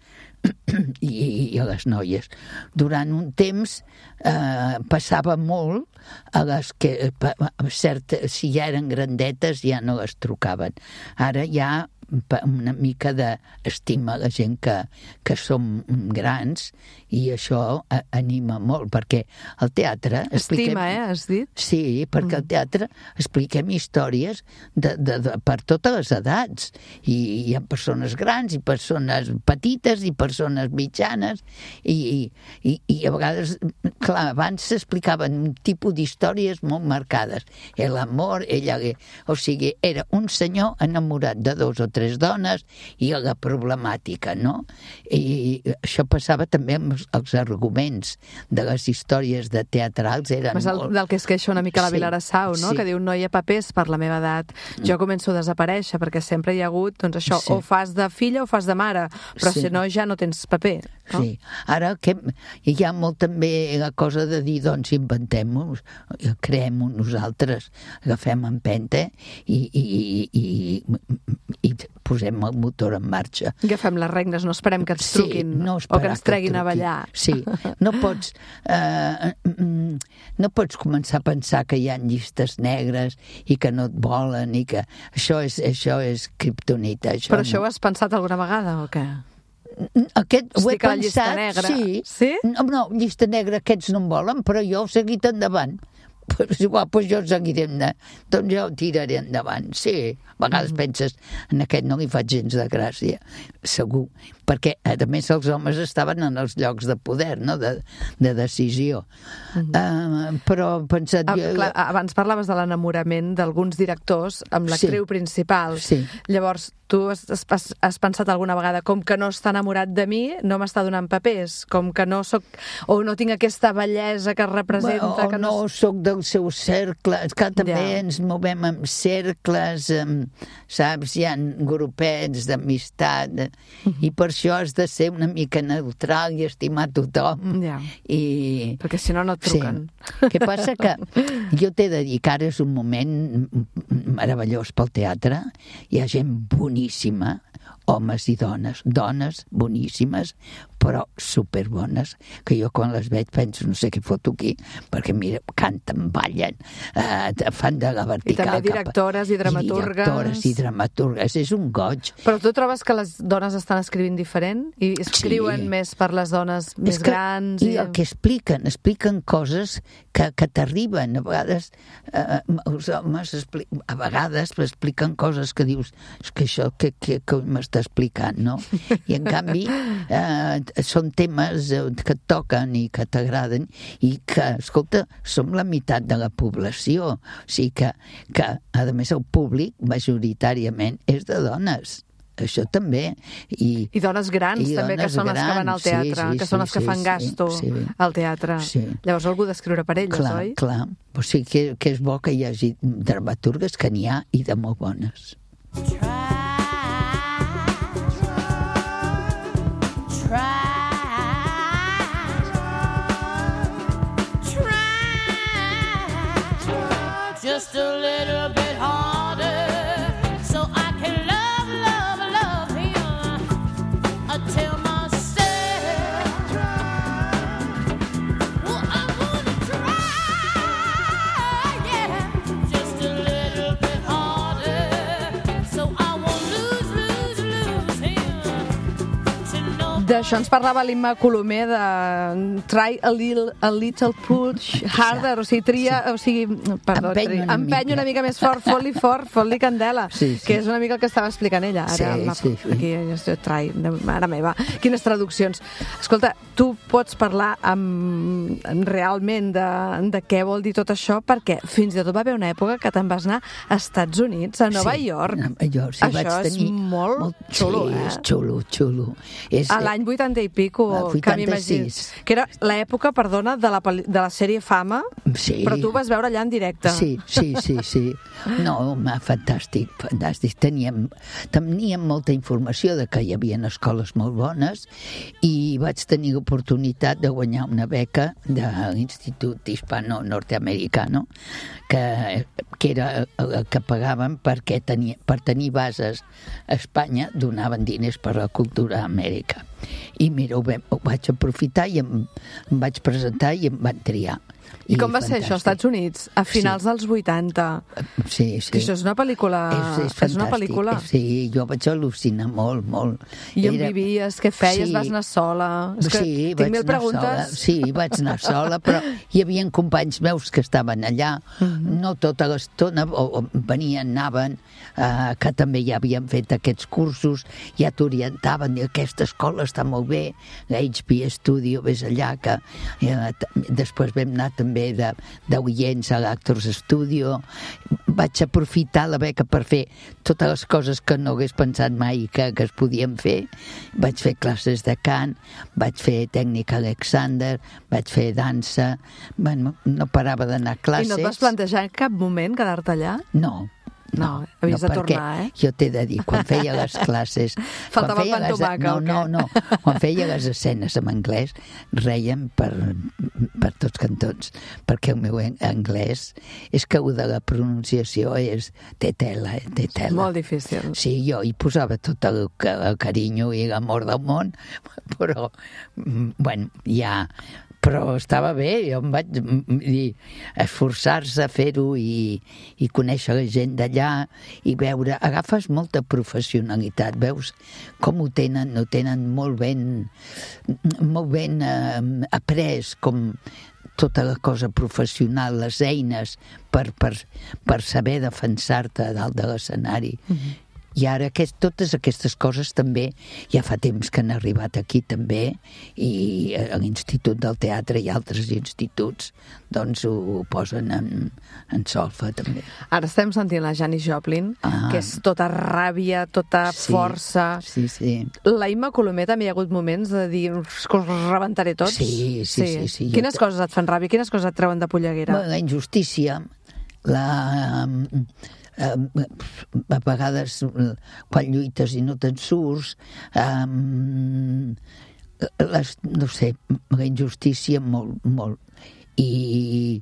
i a les noies. Durant un temps passava molt a les que, si ja eren grandetes ja no les trucaven. Ara ja una mica d'estima a la gent que som grans, i això anima molt, perquè al teatre... Estima, has dit? Sí, perquè al teatre expliquem històries per totes les edats, i hi ha persones grans i persones petites i persones mitjanes, i a vegades, clar, abans s'explicaven un tipus d'històries molt marcades. L'amor, o sigui, era un senyor enamorat de 2 o 3 dones i la problemàtica, no? I això passava també amb els arguments de les històries de teatrals. Del que es queixa una mica la Vilarassau, no? Que diu, no hi ha papers per la meva edat. Jo començo a desaparèixer perquè sempre hi ha hagut, doncs això, o fas de filla o fas de mare, però si no ja no tens paper. Sí. Ara hi ha molt també la cosa de dir, doncs inventem-ho, creem-ho nosaltres, agafem empenta i posem el motor en marxa. Agafem les regnes, no esperem que ens truquin o que ens treguin a ballar. Sí, no pots començar a pensar que hi ha llistes negres i que no et volen i que això és kriptonita. Però això ho has pensat alguna vegada o què? Ho he pensat, sí. No, llista negra, aquests no em volen, però jo he seguit endavant. Pues igual, jo seguiré doncs jo tiraré endavant. Sí, a vegades penses, en aquest no li faig gens de gràcia, segur. perquè a més els homes estaven en els llocs de poder, no? de decisió. Però pensat... Clar, abans parlaves de l'enamorament d'alguns directors amb l'actriu principal. Sí. Llavors, tu has pensat alguna vegada com que no està enamorat de mi, no m'està donant papers, com que no soc... o no tinc aquesta bellesa que representa... O no soc del seu cercle, que també ens movem en cercles, saps? Hi ha grupets d'amistat, i per això has de ser una mica neutral i estimar tothom. Perquè si no, no et truquen. Sí. Què passa? Que jo t'he de dir que ara és un moment meravellós pel teatre, hi ha gent boníssima, homes i dones boníssimes, però superbones, que jo quan les veig penso, no sé què foto aquí, perquè mira, canten, ballen, fan de la vertical. I també directores i dramaturgues. És un goig. Però tu trobes que les dones estan escrivint diferent? I escriuen més per les dones més grans? I el que expliquen coses que t'arriben. A vegades els homes a vegades expliquen coses que dius, és que això que m'està explicant, no? I en canvi són temes que et toquen i que t'agraden i que, escolta, som la meitat de la població. O sigui que a més, el públic majoritàriament és de dones. Això també. I dones grans, també, que són les que van al teatre, que són les que fan gasto al teatre. Llavors algú d'escriure per elles, oi? Clar. O sigui que és bo que hi hagi dramaturgues, que n'hi ha, i de molt bones. Just a little bit harder, so I can love him until myself. Well, I wanna try, yeah, just a little bit harder, so I won't lose him to know. D'això ens parlava l'Imma Colomer, de try a little push harder, o sigui, tria, o sigui, perdó, empeny una mica més fort, fot-li candela, que és una mica el que estava explicant ella. Ara, aquí, try, mare meva, quines traduccions. Escolta, tu pots parlar realment de què vol dir tot això, perquè fins i tot va haver una època que te'n vas anar a Estats Units, a Nova York. Això és molt xulo, és xulo. A l'any 80 i pico, que m'imagino. Que era l'època, perdona, de la sèrie Fama, però tu vas veure allà en directe. Sí. No, fantàstic. Teníem molta informació de que hi havia escoles molt bones i vaig tenir l'oportunitat de guanyar una beca de l'Institut Hispano-Norteamericano, que era el que pagaven perquè per tenir bases a Espanya donaven diners per la cultura a Amèrica. I mira, ho vaig aprofitar i em vaig presentar i em van triar. I com va ser això, als Estats Units, a finals dels 80? Sí. Que això és una pel·lícula... És una pel·lícula. Sí, jo vaig al·lucinar molt. I on vivies, què feies, vas anar sola? Sí, vaig anar sola. Sí, vaig anar sola, però hi havia companys meus que estaven allà, no tota l'estona, venien, anaven, que també ja havien fet aquests cursos, ja t'orientaven, i aquesta escola està molt bé, l'HB Studio, ves allà, que després vam anar també d'oients a l'Actors Studio. Vaig aprofitar la beca per fer totes les coses que no hagués pensat mai que es podien fer. Vaig fer classes de cant, vaig fer tècnica Alexander, vaig fer dansa. Bueno, no parava d'anar a classes. I no et vas plantejar en cap moment quedar-te allà? No, havies de tornar, jo t'he de dir, quan feia les classes... Faltava el pan tomaca, o què? No. Quan feia les escenes en anglès, reiem per tots cantons, perquè el meu anglès és que de la pronunciació té tela. És molt difícil. Sí, jo hi posava tot el carinyo i l'amor del món, però, bueno, ja... Però estava bé, jo em vaig dir, esforçar-se a fer-ho i conèixer la gent d'allà i veure, agafes molta professionalitat, veus com ho tenen molt ben après, com tota la cosa professional, les eines per saber defensar-te dalt de l'escenari. I ara totes aquestes coses també ja fa temps que han arribat aquí també, i a l'Institut del Teatre i altres instituts doncs ho posen en solfa també. Ara estem sentint la Janis Joplin, que és tota ràbia, tota força. Sí. La Imma Colomer també hi ha hagut moments de dir que us rebentaré tots? Sí. Quines coses et fan ràbia? Quines coses et treuen de polleguera? La injustícia, a vegades quan lluites i no te'n surts, no sé, la injustícia molt, i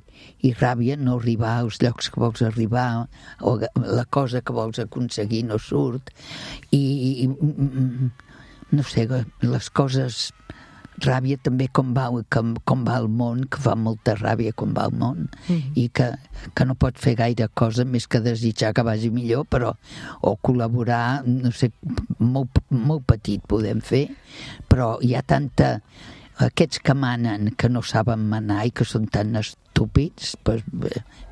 ràbia no arribar als llocs que vols arribar, o la cosa que vols aconseguir no surt, i no sé, les coses, ràbia també com va el món, que fa molta ràbia com va el món, i que no pot fer gaire cosa més que desitjar que vagi millor, però o col·laborar, no sé, molt petit podem fer, però hi ha aquests que manen que no saben manar i que són tan estúpids,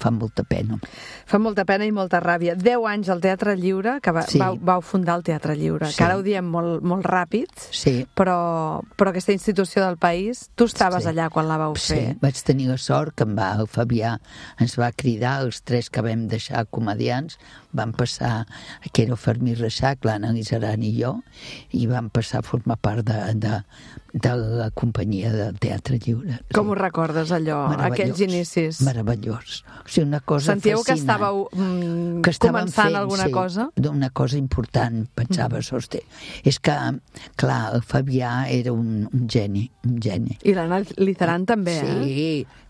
fan molta pena. Fa molta pena i molta ràbia. 10 anys al Teatre Lliure, que vau fundar el Teatre Lliure, que ara ho diem molt ràpid, però aquesta institució del país, tu estaves allà quan la vau fer. Sí, vaig tenir la sort que el Fabià ens va cridar, els 3 que vam deixar comedians, vam passar, que era el Fermí Reixac, l'Anna Lizaran i jo, i vam passar a formar part de la companyia del Teatre Lliure. Com ho recordes, allò, aquells inicis? Meravellós. O sigui, una cosa sentíeu fascinant. Sentíeu que estàveu començant alguna cosa? Una cosa important, pensaves, hosti. És que, clar, el Fabià era un geni. I l'Anna Lizaran també,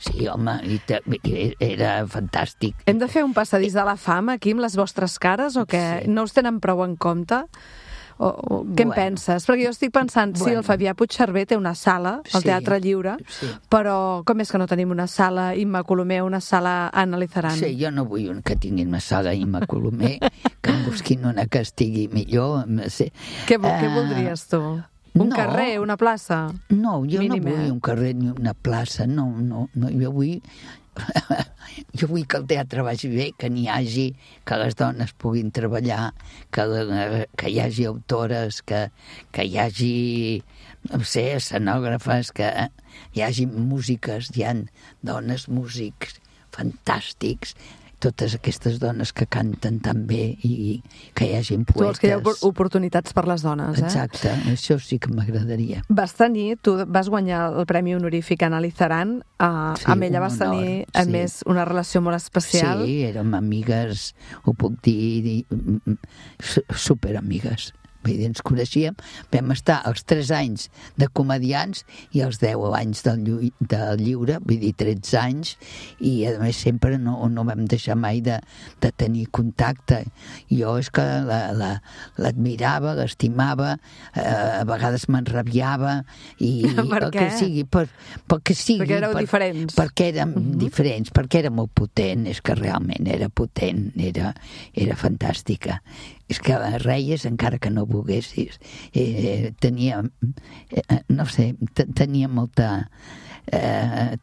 Sí, home, era fantàstic. Hem de fer un passadís de la fama aquí amb les vostres cares, o què? No us tenen prou en compte? Què en penses? Perquè jo estic pensant, sí, el Fabià Puigcerver té una sala al Teatre Lliure, però com és que no tenim una sala Imma Colomer, una sala Anna Lizaran? Sí, jo no vull que tinguin una sala Imma Colomer, que em busquin una que estigui millor. Què voldries tu? Un carrer, una plaça? No, jo no vull un carrer ni una plaça, no, jo vull que el teatre vagi bé, que n'hi hagi, que les dones puguin treballar, que hi hagi autores, que hi hagi, no sé, escenògrafes, que hi hagi músiques, hi ha dones músics fantàstics, totes aquestes dones que canten tan bé i que hi hagi poetes. Tu vols que hi ha oportunitats per les dones, Exacte, això sí que m'agradaria. Tu vas guanyar el Premi Honorífic Anna Lizaran, amb ella vas tenir, a més, una relació molt especial. Sí, érem amigues, ho puc dir, superamigues. Vull dir, ens coneixíem, vam estar els 3 anys de comedians i els 10 anys del lliure, vull dir, 13 anys, i a més sempre no vam deixar mai de tenir contacte. Jo és que l'admirava, l'estimava, a vegades m'enrabiava, i per què? Perquè éreu diferents. Perquè érem diferents, perquè era molt potent, és que realment era potent, era fantàstica. És que reies encara que no volguessis. Tenia, no sé, tenia molta...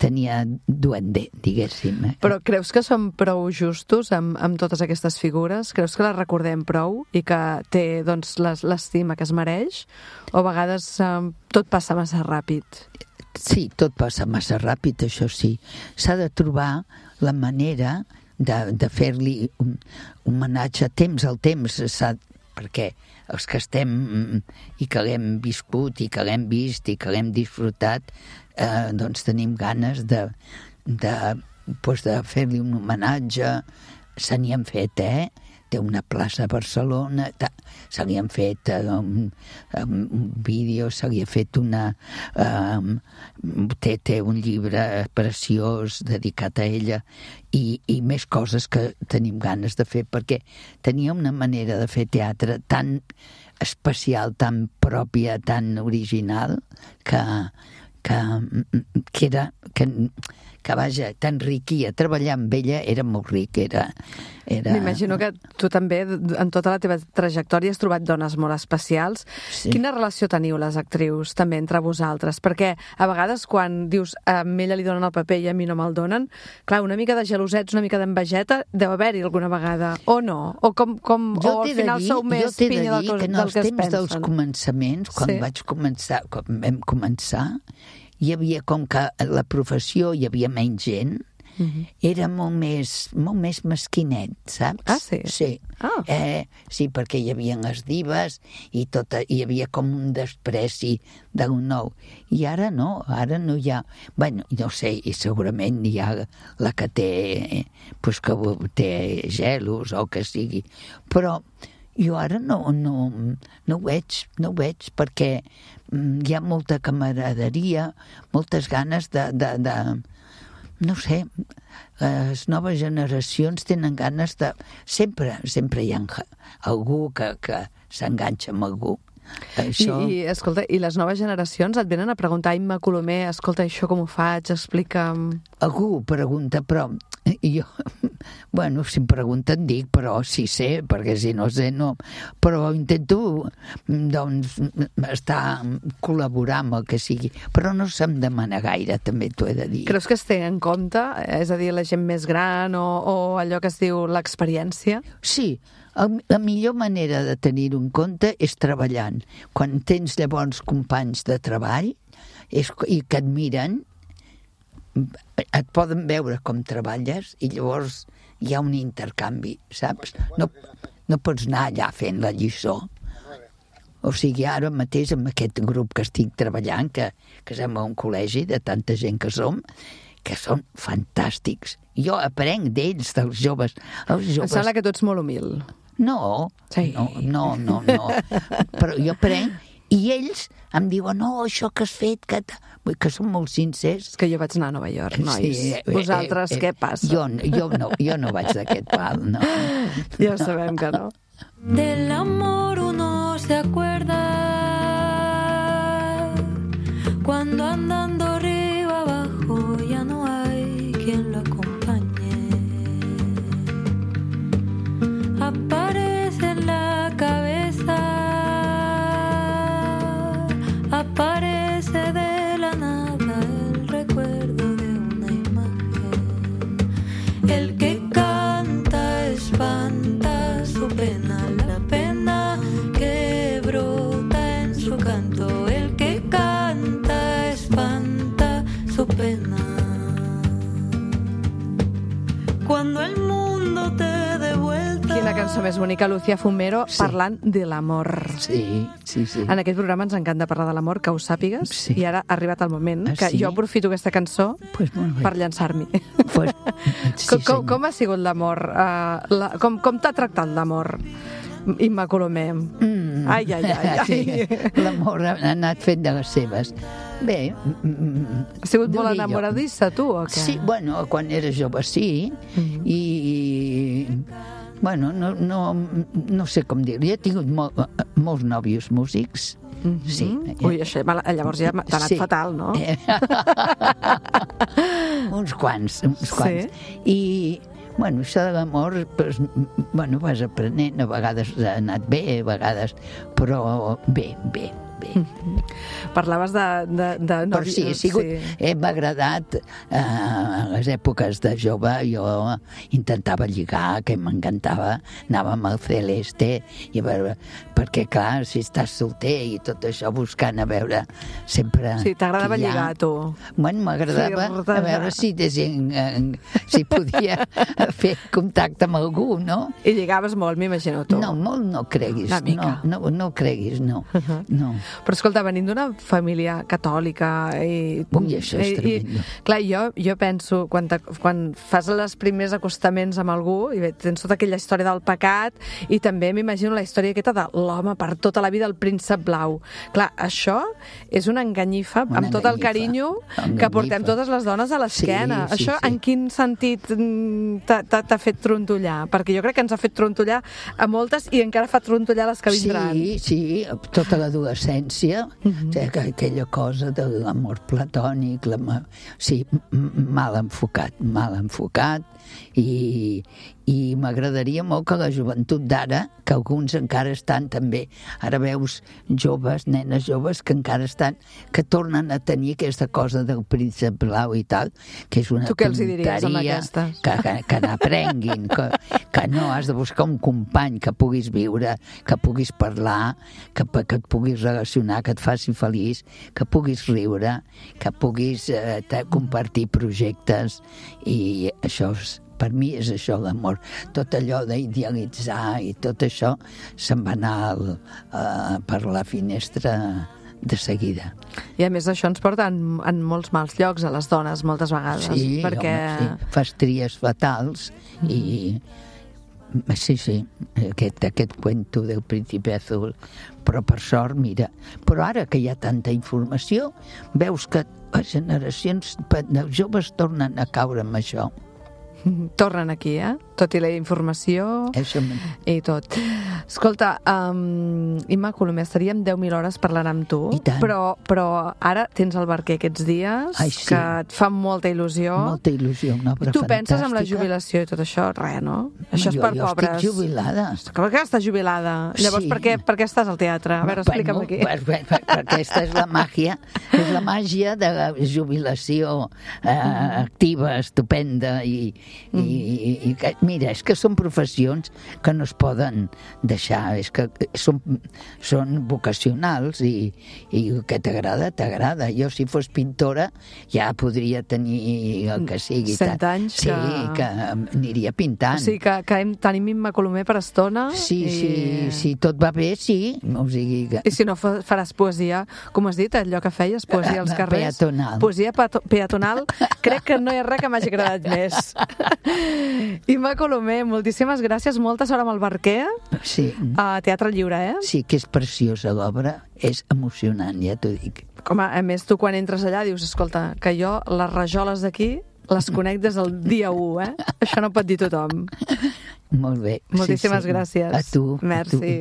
tenia duende, diguéssim. Però creus que som prou justos amb totes aquestes figures? Creus que les recordem prou i que té, doncs, l'estima que es mereix? O a vegades tot passa massa ràpid? Sí, tot passa massa ràpid, això sí. S'ha de trobar la manera de fer-li un homenatge a temps al temps, perquè els que estem i que l'hem viscut i que l'hem vist i que l'hem disfrutat, doncs tenim ganes de fer-li un homenatge. Se n'hi han fet, té una plaça a Barcelona, se li han fet un vídeo, se li ha fet té un llibre preciós dedicat a ella, i més coses que tenim ganes de fer, perquè tenia una manera de fer teatre tan especial, tan pròpia, tan original, que que vaja, t'enriquia. Treballar amb ella era molt ric, era... M'imagino que tu també, en tota la teva trajectòria, has trobat dones molt especials. Sí. Quina relació teniu, les actrius, també entre vosaltres? Perquè a vegades quan dius a ella li donen el paper i a mi no me'l donen, clar, una mica de gelosets, una mica d'envejeta, deu haver-hi alguna vegada, o no? O o al final sou més pinya del que es pensen? Jo t'he de dir que en els temps dels començaments, quan vam començar, hi havia com que a la professió hi havia menys gent, era molt més mesquinet, saps? Ah, sí? Sí. Ah. Sí, perquè hi havia les divas i hi havia com un despreci del nou. I ara no hi ha... Bueno, no sé, i segurament hi ha la que té, pues que té gelos o que sigui, però jo ara no ho veig perquè hi ha molta camaraderia, moltes ganes de no sé, les noves generacions tenen ganes de... Sempre hi ha algú que s'enganxa amb algú. Això... I, escolta, i les noves generacions et venen a preguntar, Imma Colomer, escolta, això com ho faig, explica'm... Algú pregunta, però jo... Bueno, si em pregunten dic, però sí sé, perquè si no sé, no. Però intento, doncs, col·laborar amb el que sigui. Però no se'm demana gaire, també t'ho he de dir. Creus que es té en compte? És a dir, la gent més gran o allò que es diu l'experiència? Sí, la millor manera de tenir-ho en compte és treballant. Quan tens llavors companys de treball i que et miren, et poden veure com treballes i llavors hi ha un intercanvi, saps? No pots anar allà fent la lliçó. O sigui, ara mateix amb aquest grup que estic treballant, que som a un col·legi de tanta gent que som, que són fantàstics. Jo aprenc d'ells, dels joves. Em sembla que tu ets molt humil. No, sí. No. Però jo aprenc i ells em diuen, no, això que has fet, que són molt sincers. És que jo vaig anar a Nova York, nois. Sí, vosaltres, què passa? Jo no vaig d'aquest pal, no. Ja sabem que no. Del amor uno se acuerda cuando andando arriba abajo ya no hay quien lo acompañe. Aparece en la cabeza, aparece de la nada el recuerdo de una imagen. El que canta espanta su pena, la pena que brota en su canto. El que canta espanta su pena. Cuando el mundo te dé vuelta. Quina cançó més bonica, Lucía Fumero, sí. Parlant de l'amor. Sí. En aquest programa ens encanta parlar de l'amor, que ho sàpigues, sí. I ara ha arribat el moment que sí? jo aprofito aquesta cançó per llançar-m'hi. Sí, com ha sigut l'amor? Com t'ha tractat l'amor, Imma Colomer? Ai. Sí. L'amor ha anat fent de les seves. Bé... Has sigut molt enamoradissa, tu, o què? Sí, bueno, quan era jove sí, i... Bueno, no sé com dir-ho. Jo he tingut molts nòvios músics. Sí. Ui, això llavors ja t'ha anat fatal, no? Uns quants. Sí. I, bueno, això de l'amor, pues, bueno, vas aprenent, a vegades ha anat bé, a vegades, però bé. Parlaves de però sí, m'ha agradat a les èpoques de jove. Jo intentava lligar, que m'encantava, anava amb el Celeste i a veure, perquè clar, si estàs solter i tot això, buscant a veure sempre... Sí, t'agradava lligar, tu. Bueno, m'agradava a veure si podia fer contacte amb algú, no? I lligaves molt, m'imagino, tu. No, molt no creguis. Una mica. No creguis, no. Però escolta, venint d'una família catòlica i... Ui, això és tremendo. Clar, jo penso, quan fas els primers acostaments amb algú, i tens tota aquella història del pecat, i també m'imagino la història aquesta de l'home per tota la vida, el príncep blau. Clar, això és una enganyifa, amb tot el carinyo que portem totes les dones a l'esquena. Sí, això en quin sentit t'ha fet trontollar? Perquè jo crec que ens ha fet trontollar a moltes i encara fa trontollar les que vindran. Sí, tota l'adolescència violència, aquella cosa de l'amor platònic, sí, mal enfocat, i m'agradaria molt que la joventut d'ara, que alguns encara estan també, ara veus joves, nenes joves que encara estan, que tornen a tenir aquesta cosa del príncep blau i tal, que és una tu què els hi diries amb aquestes? Que n'aprenguin, que no has de buscar un company que puguis viure, que puguis parlar, que et puguis relacionar, que et faci feliç, que puguis riure, que puguis compartir projectes, i això per mi és això l'amor. Tot allò d'idealitzar i tot això se'n va anar per la finestra de seguida. I a més això ens porta en molts mals llocs a les dones moltes vegades. Sí, perquè... home, sí. Fas tries fatals i... Sí, aquest cuento del príncipe azul, però per sort, mira, però ara que hi ha tanta informació, veus que les generacions joves tornen a caure amb això. Tornen aquí, tot i la informació i tot. Escolta, Imma Colomer, estaríem 10.000 hores parlant amb tu, però ara tens el barquer aquests dies, que et fa molta il·lusió. Molta il·lusió, una obra fantàstica. Tu penses en la jubilació i tot això? Res, no? Això és per pobres. Jo estic jubilada. Com que estàs jubilada? Llavors, per què estàs al teatre? A veure, explica'm aquí. Perquè aquesta és la màgia de la jubilació activa, estupenda, i mira, és que són professions que no es poden deixar, és que són vocacionals i que t'agrada. Jo, si fos pintora, ja podria tenir el que sigui. 100 anys que... Sí, que aniria pintant. O sigui, que tenim Imma Colomer per estona. Sí, tot va bé, sí. O sigui que... I si no faràs poesia, com has dit, allò que feies, poesia als carrers. Peatonal. Poesia peatonal. Crec que no hi ha res que m'hagi agradat més. Imma Colomer, moltíssimes gràcies, molta sort amb el barquer. Sí. A Teatre Lliure, Sí, que és preciosa l'obra, és emocionant, ja t'ho dic. Com a més, tu quan entres allà dius, escolta, que jo les rajoles d'aquí les conec des del dia 1, Això no pot dir tothom. Molt bé. Moltíssimes gràcies. A tu. Merci.